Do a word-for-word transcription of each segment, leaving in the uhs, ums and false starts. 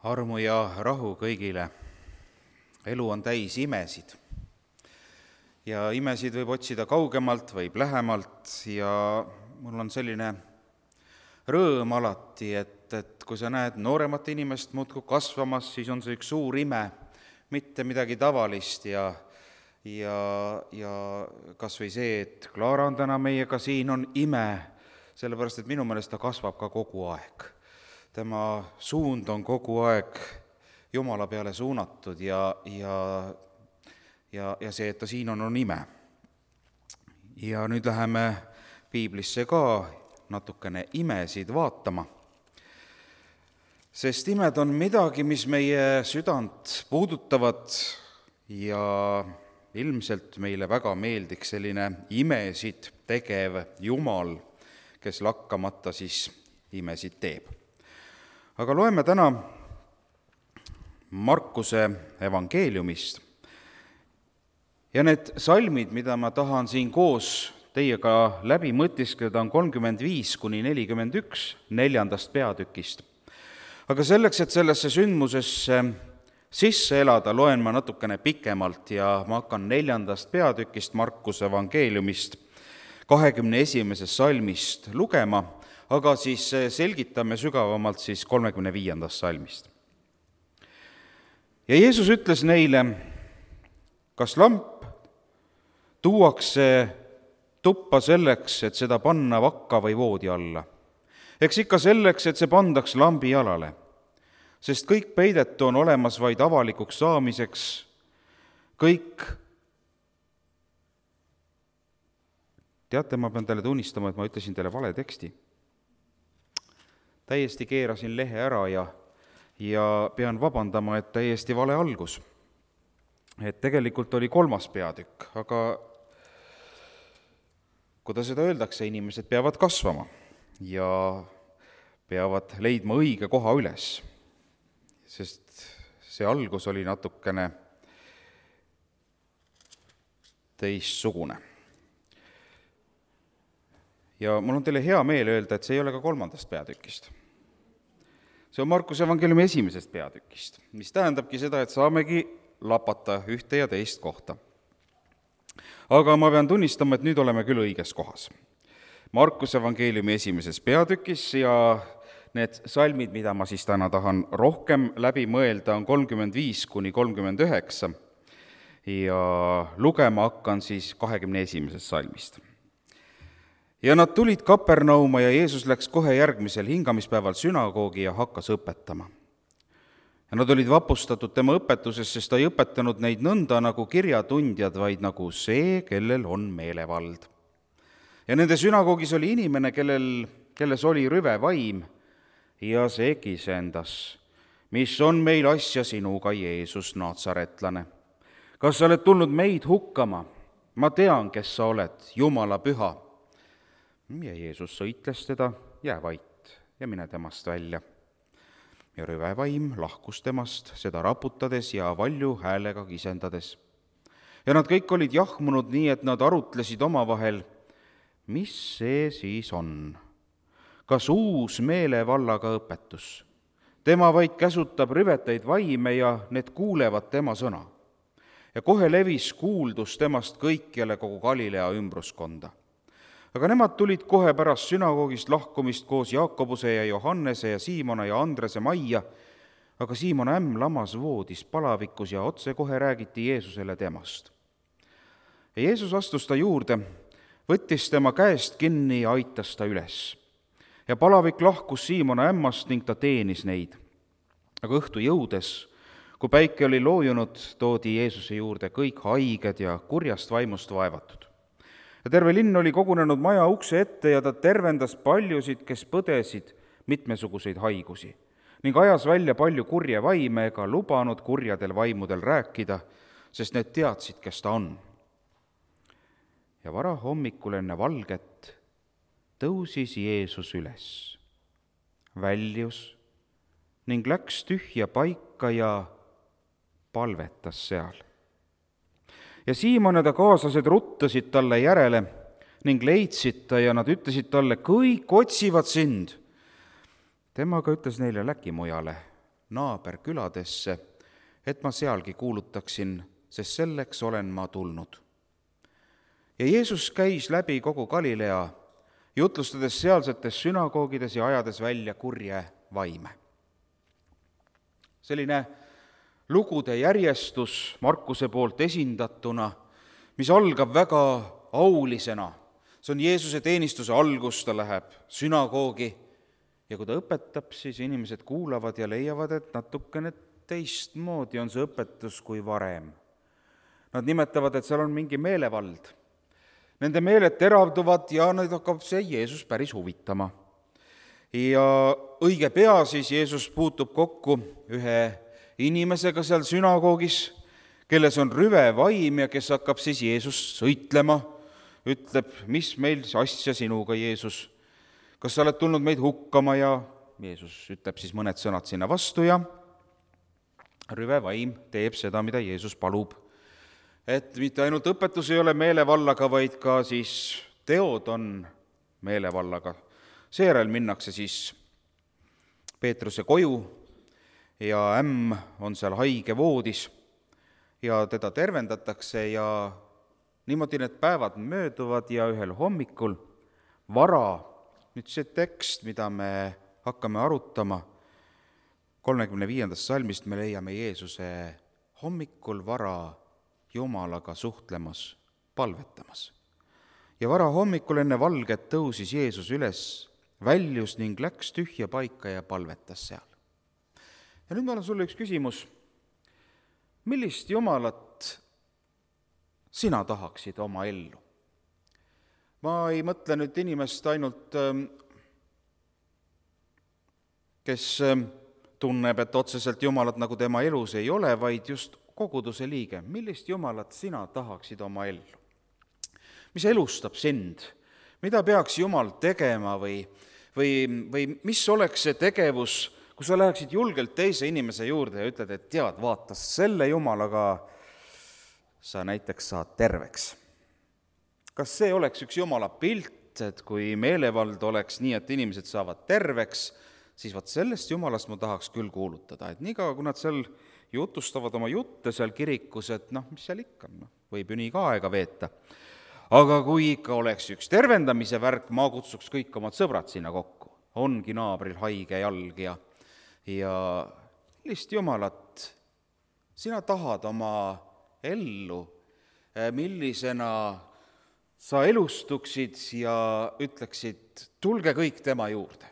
Armu ja rahu kõigile. Elu on täis imesid. Ja imesid võib otsida kaugemalt, võib lähemalt ja mul on selline rõõm alati, et, et kui sa näed nooremat inimest muudkui kasvamas, siis on see üks suur ime, mitte midagi tavalist ja, ja, ja kas või see, et Klaara on täna meiega siin, on ime, sellepärast et minu meelest ta kasvab ka kogu aeg. Tema suund on kogu aeg Jumala peale suunatud ja, ja, ja, ja see, et ta siin on, on ime. Ja nüüd läheme piiblisse ka natukene imesid vaatama. Sest imed on midagi, mis meie südant puudutavad ja ilmselt meile väga meeldiks selline imesid tegev Jumal, kes lakkamata siis imesid teeb. Aga loeme täna Markuse evangeeliumist ja need salmid, mida ma tahan siin koos teiega läbi mõtiskleda, on kolmkümmend viis kuni nelikümmend üks neljandast peatükist. Aga selleks, et sellesse sündmusesse sisse elada, loen ma natukene pikemalt ja ma hakkan neljandast peatükist Markuse evangeeliumist kahekümne esimesest salmist lugema, aga siis selgitame sügavamalt siis kolmekümne viiendast salmist. Ja Jeesus ütles neile, kas lamp tuuakse tuppa selleks, et seda panna vakka või voodi alla? Eks ikka selleks, et see pandaks lambi jalale, sest kõik peidetu on olemas vaid avalikuks saamiseks, kõik. Teate, ma pean teile tunnistama, et ma ütlesin teile vale teksti. Täiesti keerasin lehe ära ja, ja pean vabandama, et täiesti vale algus. Et tegelikult oli kolmas peatükk, aga kuidas seda öeldakse, inimesed peavad kasvama ja peavad leidma õige koha üles, sest see algus oli natukene teistsugune. Ja mul on teile hea meel öelda, et see ei ole ka kolmandast peatükist. See on Markuse evangeeliumi esimesest peatükist, mis tähendabki seda, et saamegi lapata ühte ja teist kohta. Aga ma pean tunnistama, et nüüd oleme küll õiges kohas. Markuse evangeeliumi esimeses peatükis ja need salmid, mida ma siis täna tahan rohkem läbi mõelda, on kolmkümmend viis kuni kolmkümmend üheksa ja lugema hakkan siis kahekümne esimesest salmist. Ja nad tulid Kapernauma ja Jeesus läks kohe järgmisel hingamispäeval sünagoogi ja hakkas õpetama. Ja nad olid vapustatud tema õpetuses, sest ta ei õpetanud neid nõnda nagu kirjatundjad, vaid nagu see, kellel on meelevald. Ja nende sünagoogis oli inimene, kellel, kelles oli rüve vaim ja see kisendas. Mis on meil asja sinuga, Jeesus, Naatsaretlane? Kas sa oled tulnud meid hukkama? Ma tean, kes sa oled, Jumala püha. Ja Jeesus sõitles teda, jää vait ja mine temast välja. Ja rüvevaim lahkus temast, seda raputades ja valju häälega kisendades. Ja nad kõik olid jahmunud nii, et nad arutlesid omavahel, mis see siis on? Kas uus meelevallaga õpetus? Tema vaid käsutab rüveteid vaime ja need kuulevad tema sõna. Ja kohe levis kuuldus temast kõikjale kogu Galilea ümbruskonda. Aga nemad tulid kohe pärast sünagoogist lahkumist koos Jaakobuse ja Johannese ja Siimona ja Andrese majja, aga Siimon ämm lamas voodis palavikus ja otse kohe räägiti Jeesusele temast. Ja Jeesus astus ta juurde, võttis tema käest kinni ja aitas ta üles. Ja palavik lahkus Siimona ämmast ning ta teenis neid. Aga õhtu jõudes, kui päike oli loojunud, toodi Jeesuse juurde kõik haiged ja kurjast vaimust vaevatud. Ja terve linn oli kogunenud maja ukse ette ja ta tervendas paljusid, kes põdesid mitmesuguseid haigusi ning ajas välja palju kurje vaime ega lubanud kurjadel vaimudel rääkida, sest need teadsid, kes ta on. Ja vara hommikul enne valget tõusis Jeesus üles, väljus ning läks tühja paika ja palvetas seal. Ja Siimon ja ta kaaslased ruttasid talle järele ning leidsid ta ja nad ütlesid talle, kõik otsivad sind. Tema aga ütles neile, läki mujale, naaberküladesse, et ma sealgi kuulutaksin, sest selleks olen ma tulnud. Ja Jeesus käis läbi kogu Galilea, jutlustades sealsetes sünagoogides ja ajades välja kurje vaime. Selline lugude järjestus Markuse poolt esindatuna, mis algab väga aulisena. See on Jeesuse teenistuse algus, ta läheb sünagoogi ja kui ta õpetab, siis inimesed kuulavad ja leiavad, et natukene teistmoodi on see õpetus kui varem. Nad nimetavad, et seal on mingi meelevald. Nende meeled teravduvad ja neid hakkab see Jeesus päris huvitama. Ja õige pea siis Jeesus puutub kokku ühe inimesega seal sünagoogis, kelles on rüve vaim ja kes hakkab siis Jeesust sõitlema, ütleb, mis meil asja sinuga, Jeesus, kas sa oled tulnud meid hukkama, ja Jeesus ütleb siis mõned sõnad sinna vastu ja rüve vaim teeb seda, mida Jeesus palub. Et mitte ainult õpetus ei ole meelevallaga, vaid ka siis teod on meelevallaga. Seejärel minnakse siis Peetruse koju ja ämm on seal haige voodis ja teda tervendatakse ja niimoodi need päevad mööduvad ja ühel hommikul vara, nüüd see tekst, mida me hakkame arutama, kolmekümne viiendast salmist me leiame Jeesuse hommikul vara Jumalaga suhtlemas, palvetamas. Ja vara hommikul enne valget tõusis Jeesus üles, väljus ning läks tühja paika ja palvetas seal. Ja nüüd mul on sulle üks küsimus. Millist Jumalat sina tahaksid oma ellu? Ma ei mõtle nüüd inimest ainult, kes tunneb, et otseselt Jumalat nagu tema elus ei ole, vaid just koguduse liige. Millist Jumalat sina tahaksid oma ellu? Mis elustab sind? Mida peaks Jumal tegema või, või, või mis oleks see tegevus, kui sa läheksid julgelt teise inimese juurde ja ütled, et tead, vaata, selle Jumalaga sa näiteks saad terveks. Kas see oleks üks Jumala pilt, et kui meelevald oleks nii, et inimesed saavad terveks, siis vaat sellest Jumalast ma tahaks küll kuulutada. Et niikaua, kui nad seal jutustavad oma jutte seal kirikus, et noh, mis seal ikka, no, võib ju nii ka aega veeta. Aga kui ikka oleks üks tervendamise värk, ma kutsuks kõik omad sõbrad sinna kokku. Ongi naabril haige jalg ja, ja millist Jumalat sina tahad oma ellu, millisena sa elustuksid ja ütleksid, tulge kõik tema juurde.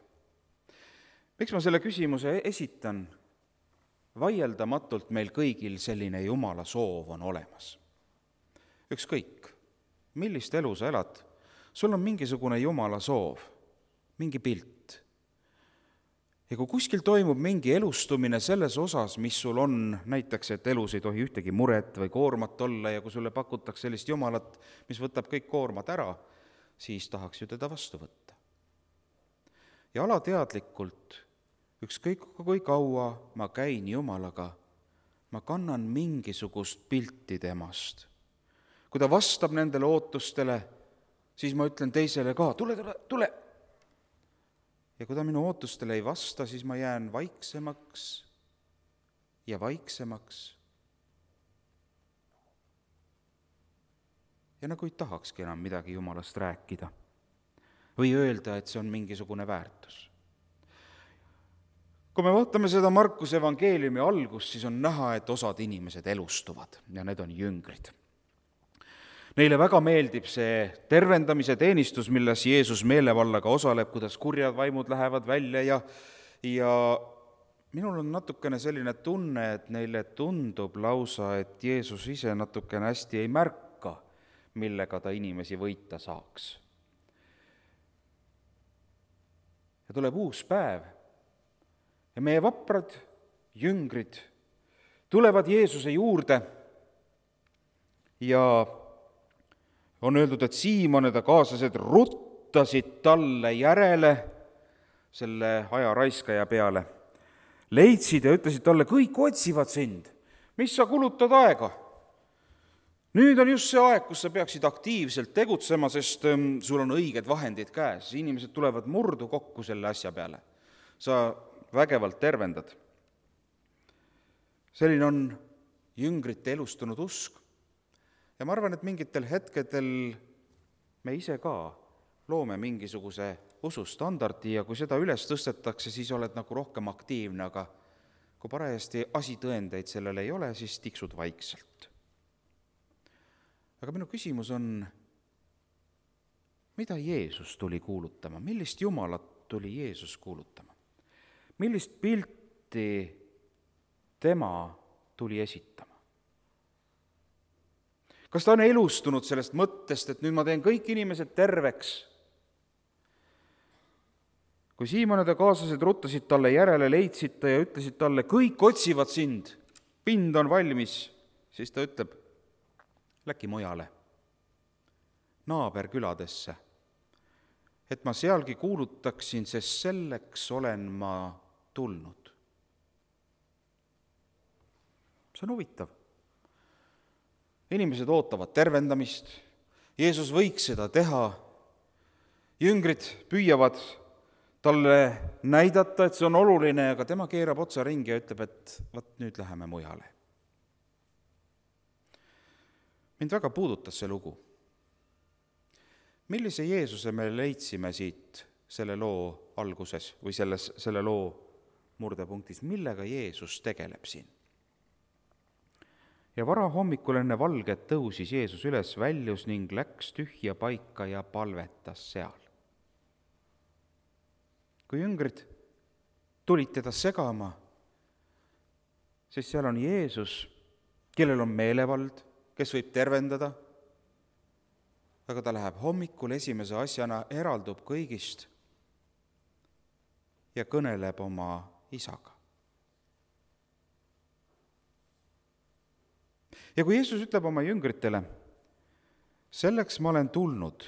Miks ma selle küsimuse esitan? Vaieldamatult meil kõigil selline Jumala soov on olemas. Ükskõik, millist elu sa elad, sul on mingisugune Jumala soov, mingi pilt. Ja kui kuskil toimub mingi elustumine selles osas, mis sul on, näiteks, et elus ei tohi ühtegi muret või koormat olla ja kui sulle pakutakse sellist Jumalat, mis võtab kõik koormad ära, siis tahaks ju teda vastu võtta. Ja alateadlikult, ükskõik kui kaua ma käin Jumalaga, ma kannan mingisugust pilti temast. Kui ta vastab nendele ootustele, siis ma ütlen teisele ka, tule, tule, tule. Ja kui ta minu ootustele ei vasta, siis ma jään vaiksemaks ja vaiksemaks. Ja nagu ei tahakski enam midagi Jumalast rääkida või öelda, et see on mingisugune väärtus. Kui me vaatame seda Markuse evangeeliumi algust, siis on näha, et osad inimesed elustuvad ja need on jüngrid. Neile väga meeldib see tervendamise teenistus, milles Jeesus meelevallaga osaleb, kuidas kurjad vaimud lähevad välja ja, ja minul on natukene selline tunne, et neile tundub lausa, et Jeesus ise natukene hästi ei märka, millega ta inimesi võita saaks. Ja tuleb uus päev ja meie vaprad jüngrid tulevad Jeesuse juurde ja on öeldud, et Siimon ja ta kaaslased ruttasid talle järele selle aja raiskaja peale. Leidsid ja ütlesid talle, kõik otsivad sind. Mis sa kulutad aega? Nüüd on just see aeg, kus sa peaksid aktiivselt tegutsema, sest sul on õiged vahendid käes. Inimesed tulevad murdu kokku selle asja peale. Sa vägevalt tervendad. selline on jüngrite elustunud usk. Ja ma arvan, et mingitel hetkedel me ise ka loome mingisuguse usustandardi ja kui seda üles tõstetakse, siis oled nagu rohkem aktiivne, aga kui parajasti asitõendeid sellele ei ole, siis tiksud vaikselt. Aga minu küsimus on, mida Jeesus tuli kuulutama? Millist Jumalat tuli Jeesus kuulutama? Millist pilti tema tuli esitama? Kas ta on elustunud sellest mõttest, et nüüd ma teen kõik inimesed terveks? Kui Siimon ja ta kaaslased ruttasid talle järele, leidsid ta ja ütlesid talle, kõik otsivad sind, pind on valmis, siis ta ütleb, läki mujale, naaberküladesse, et ma sealgi kuulutaksin, sest selleks olen ma tulnud. See on huvitav. Inimesed ootavad tervendamist, Jeesus võiks seda teha, jüngrid püüavad talle näidata, et see on oluline, aga tema keerab otsa ringi ja ütleb, et vaat nüüd läheme mujale. Mind väga puudutas see lugu. Millise Jeesuse me leidsime siit selle loo alguses või selles, selle loo murdepunktis? Millega Jeesus tegeleb siin? Ja vara hommikul enne valget tõusis Jeesus üles, väljus ning läks tühja paika ja palvetas seal. Kui jüngrid tulid teda segama, siis seal on Jeesus, kellel on meelevald, kes võib tervendada, aga ta läheb hommikul esimese asjana, eraldub kõigist ja kõneleb oma isaga. Ja kui Jeesus ütleb oma jüngritele, selleks ma olen tulnud,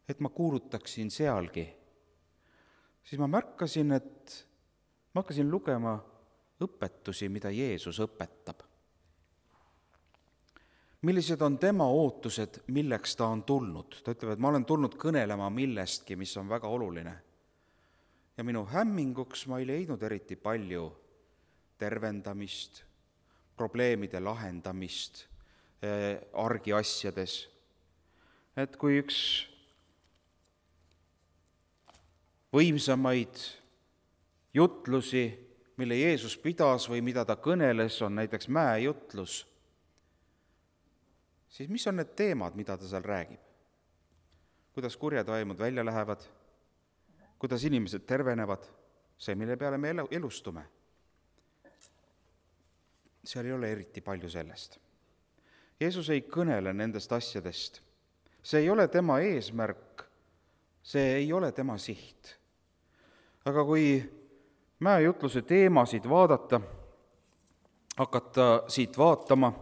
et ma kuulutaksin sealgi, siis ma märkasin, et ma hakkasin lugema õpetusi, mida Jeesus õpetab. Millised on tema ootused, milleks ta on tulnud? Ta ütleb, et ma olen tulnud kõnelema millestki, mis on väga oluline. Ja minu hämminguks ma ei leidnud eriti palju tervendamist, probleemide lahendamist eh, argiasjades. Et kui üks võimsamaid jutlusi, mille Jeesus pidas või mida ta kõneles, on näiteks mäejutlus, siis mis on need teemad, mida ta seal räägib? Kuidas kurjad vaimud välja lähevad? Kuidas inimesed tervenevad? See, mille peale me elustume. Seal ei ole eriti palju sellest. Jeesus ei kõnele nendest asjadest. See ei ole tema eesmärk, see ei ole tema siht. Aga kui mäejutluse teemasid vaadata, hakata siit vaatama,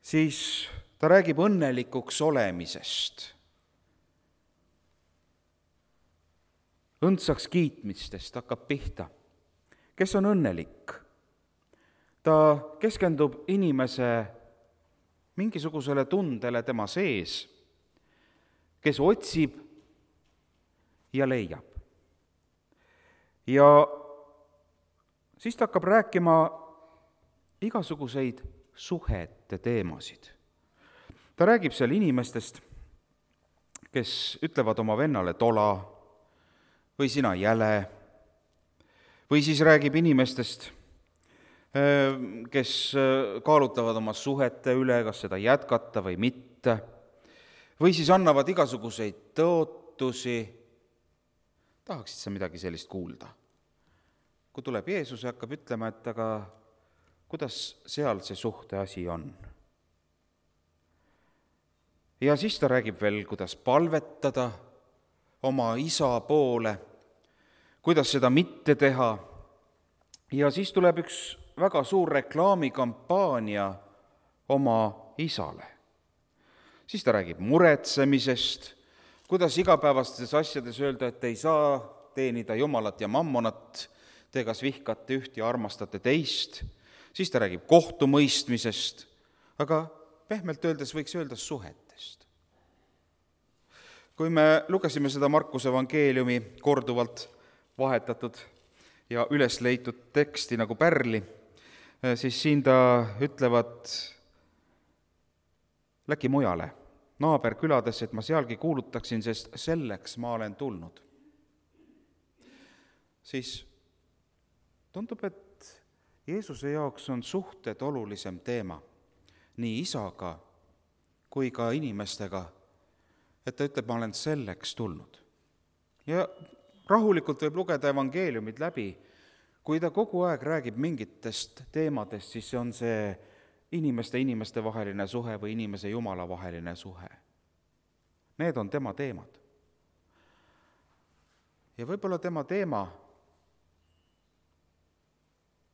siis ta räägib õnnelikuks olemisest, õndsaks kiitmistest hakkab pihta. Kes on õnnelik? Ta keskendub inimese mingisugusele tundele tema sees, kes otsib ja leiab. Ja siis ta hakkab rääkima igasuguseid suhete teemasid. Ta räägib seal inimestest, kes ütlevad oma vennale tola või sina jäle, või siis räägib inimestest, kes kaalutavad oma suhete üle, kas seda jätkata või mitte, või siis annavad igasuguseid tõotusi. Tahaksid sa midagi sellist kuulda? Kui tuleb Jeesus ja hakkab ütlema, et aga kuidas seal see suhte asi on? Ja siis ta räägib veel, kuidas palvetada oma isa poole, kuidas seda mitte teha. Ja siis tuleb üks väga suur reklaamikampaania oma isale. Siis ta räägib muretsemisest, kuidas igapäevastes asjades öelda, et ei saa teenida Jumalat ja mammonat, te kas vihkate üht ja armastate teist. Siis ta räägib kohtumõistmisest, aga pehmelt öeldes võiks öelda suhetest. Kui me lugesime seda Markuse evangeeliumi korduvalt vahetatud ja üles leitud teksti nagu pärli, siis siin ta ütlevad, läki mujale, naaberküladesse, et ma sealgi kuulutaksin, sest selleks ma olen tulnud. Siis tundub, et Jeesuse jaoks on suhted olulisem teema nii isaga kui ka inimestega, et ta ütleb, ma olen selleks tulnud. Ja rahulikult võib lugeda evangeeliumid läbi, kui ta kogu aeg räägib mingitest teemadest, siis see on see inimeste inimeste vaheline suhe või inimese Jumala vaheline suhe. Need on tema teemad. Ja võib-olla tema teema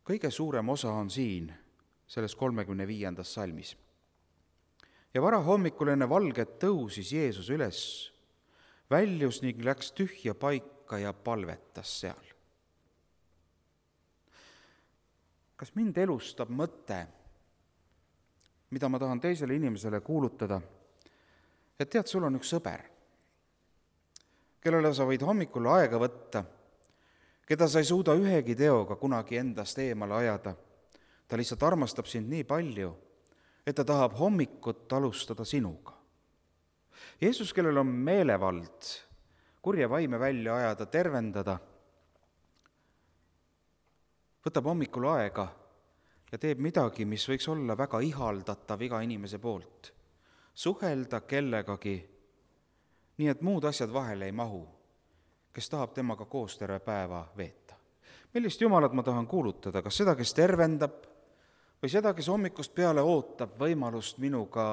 kõige suurem osa on siin, selles kolmekümne viiendas salmis. Ja varahommikul enne valget tõusis Jeesus üles, väljus ning läks tühja paika ja palvetas seal. Kas mind elustab mõte, mida ma tahan teisele inimesele kuulutada, et tead, sul on üks sõber, kellele sa võid hommikul aega võtta, keda sa ei suuda ühegi teoga kunagi endast eemale ajada. Ta lihtsalt armastab sind nii palju, et ta tahab hommikut alustada sinuga. Jeesus, kellel on meelevald kurje vaime välja ajada, tervendada, võtab hommikul aega ja teeb midagi, mis võiks olla väga ihaldatav iga inimese poolt. Suhelda kellegagi, nii et muud asjad vahele ei mahu, kes tahab temaga koos terve päeva veeta. Millist Jumalat ma tahan kuulutada, kas seda, kes tervendab, või seda, kes hommikust peale ootab võimalust minuga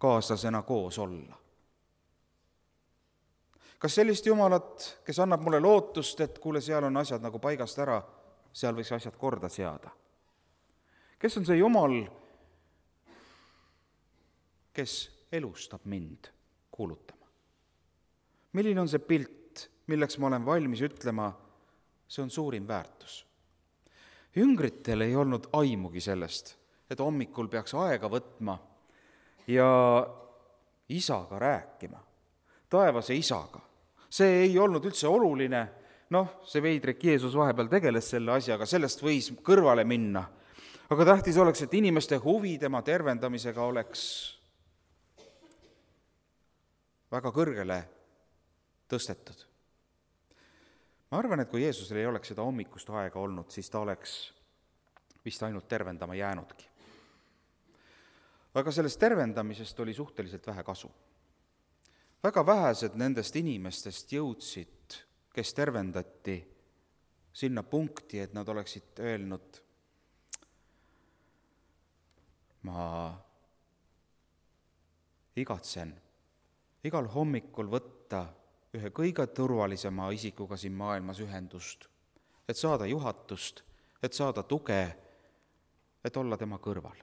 kaaslasena koos olla? Kas sellist Jumalat, kes annab mulle lootust, et kuule, seal on asjad nagu paigast ära, seal võiks asjad korda seada? Kes on see Jumal, kes elustab mind kuulutama? Milline on see pilt, milleks ma olen valmis ütlema, see on suurim väärtus? Jüngritel ei olnud aimugi sellest, et hommikul peaks aega võtma ja isaga rääkima, taevase isaga. See ei olnud üldse oluline, noh, see veidrik Jeesus vahepeal tegeles selle asjaga, sellest võis kõrvale minna, aga tähtis oleks, et inimeste huvi tema tervendamisega oleks väga kõrgele tõstetud. Ma arvan, et kui Jeesusel ei oleks seda hommikust aega olnud, siis ta oleks vist ainult tervendama jäänudki. Aga sellest tervendamisest oli suhteliselt vähe kasu. Väga vähesed nendest inimestest jõudsid, kes tervendati, sinna punkti, et nad oleksid öelnud, ma igatsen igal hommikul võtta ühe kõige turvalisema isikuga siin maailmas ühendust, et saada juhatust, et saada tuge, et olla tema kõrval.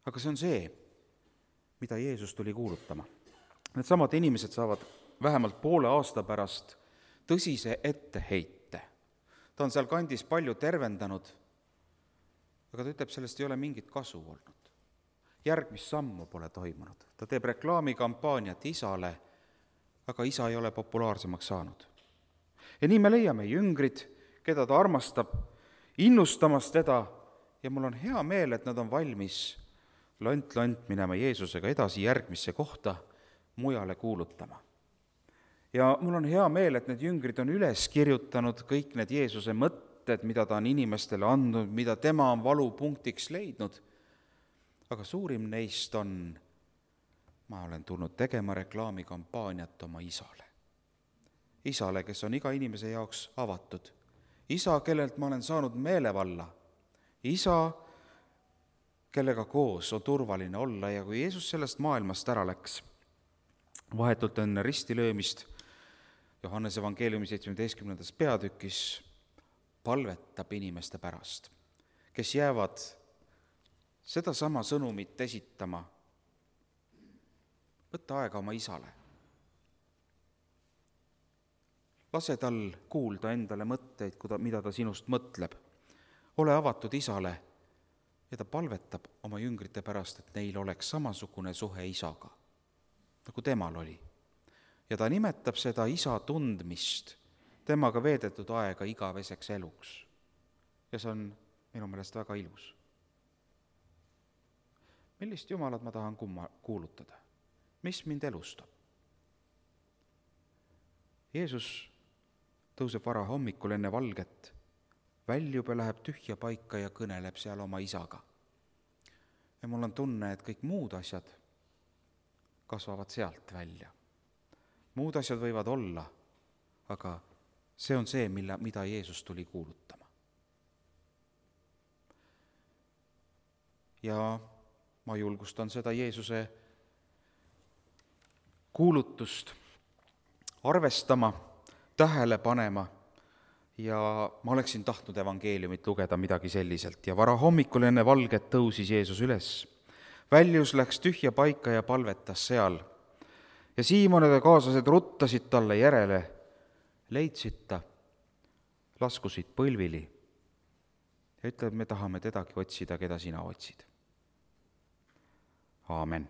Aga see on see, mida Jeesus tuli kuulutama. Need samad inimesed saavad vähemalt poole aasta pärast tõsise etteheite. Ta on seal kandis palju tervendanud, aga ta ütleb, sellest ei ole mingit kasu olnud. Järgmist sammu pole toimunud. Ta teeb reklaamikampaaniat isale, aga isa ei ole populaarsemaks saanud. Ja nii me leiame jüngrid, keda ta armastab, innustamas teda, ja mul on hea meel, et nad on valmis lont-lont minema Jeesusega edasi järgmisse kohta, mujale kuulutama. Ja mul on hea meel, et need jüngrid on üles kirjutanud kõik need Jeesuse mõtted, mida ta on inimestele andnud, mida tema on valupunktiks leidnud. Aga suurim neist on, ma olen tulnud tegema reklaamikampaaniat oma isale. Isale, kes on iga inimese jaoks avatud. Isa, kellelt ma olen saanud meelevalla. Isa, kellega koos on turvaline olla, ja kui Jeesus sellest maailmast ära läks, vahetult enne ristilöömist, Johannese evangeeliumi seitsmeteistkümnendas peatükis palvetab inimeste pärast, kes jäävad seda sama sõnumit esitama. Võtta aega oma isale. Lase tal kuulda endale mõtteid, mida ta sinust mõtleb. Ole avatud isale ja ta palvetab oma jüngrite pärast, et neil oleks samasugune suhe isaga, nagu temal oli. ja ta nimetab seda isa tundmist, temaga veedetud aega igaveseks eluks. Ja see on minu meelest väga ilus. Millist Jumalat ma tahan kumma kuulutada? Mis mind elustab? Jeesus tõuseb vara hommikul enne valget, väljub ja läheb tühja paika ja kõneleb seal oma isaga. Ja mul on tunne, et kõik muud asjad kasvavad sealt välja. Muud asjad võivad olla, aga see on see, mille, mida Jeesus tuli kuulutama. Ja ma julgustan seda Jeesuse kuulutust arvestama, tähele panema ja ma oleksin tahtnud evangeeliumit lugeda midagi selliselt. Ja vara hommikul enne valget tõusis Jeesus üles. Väljus läks tühja paika ja palvetas seal. Ja Siimon ja kaaslased ruttasid talle järele, leidsid ta, laskusid põlvili ja ütleb, me tahame tedagi otsida, keda sina otsid. Aamen.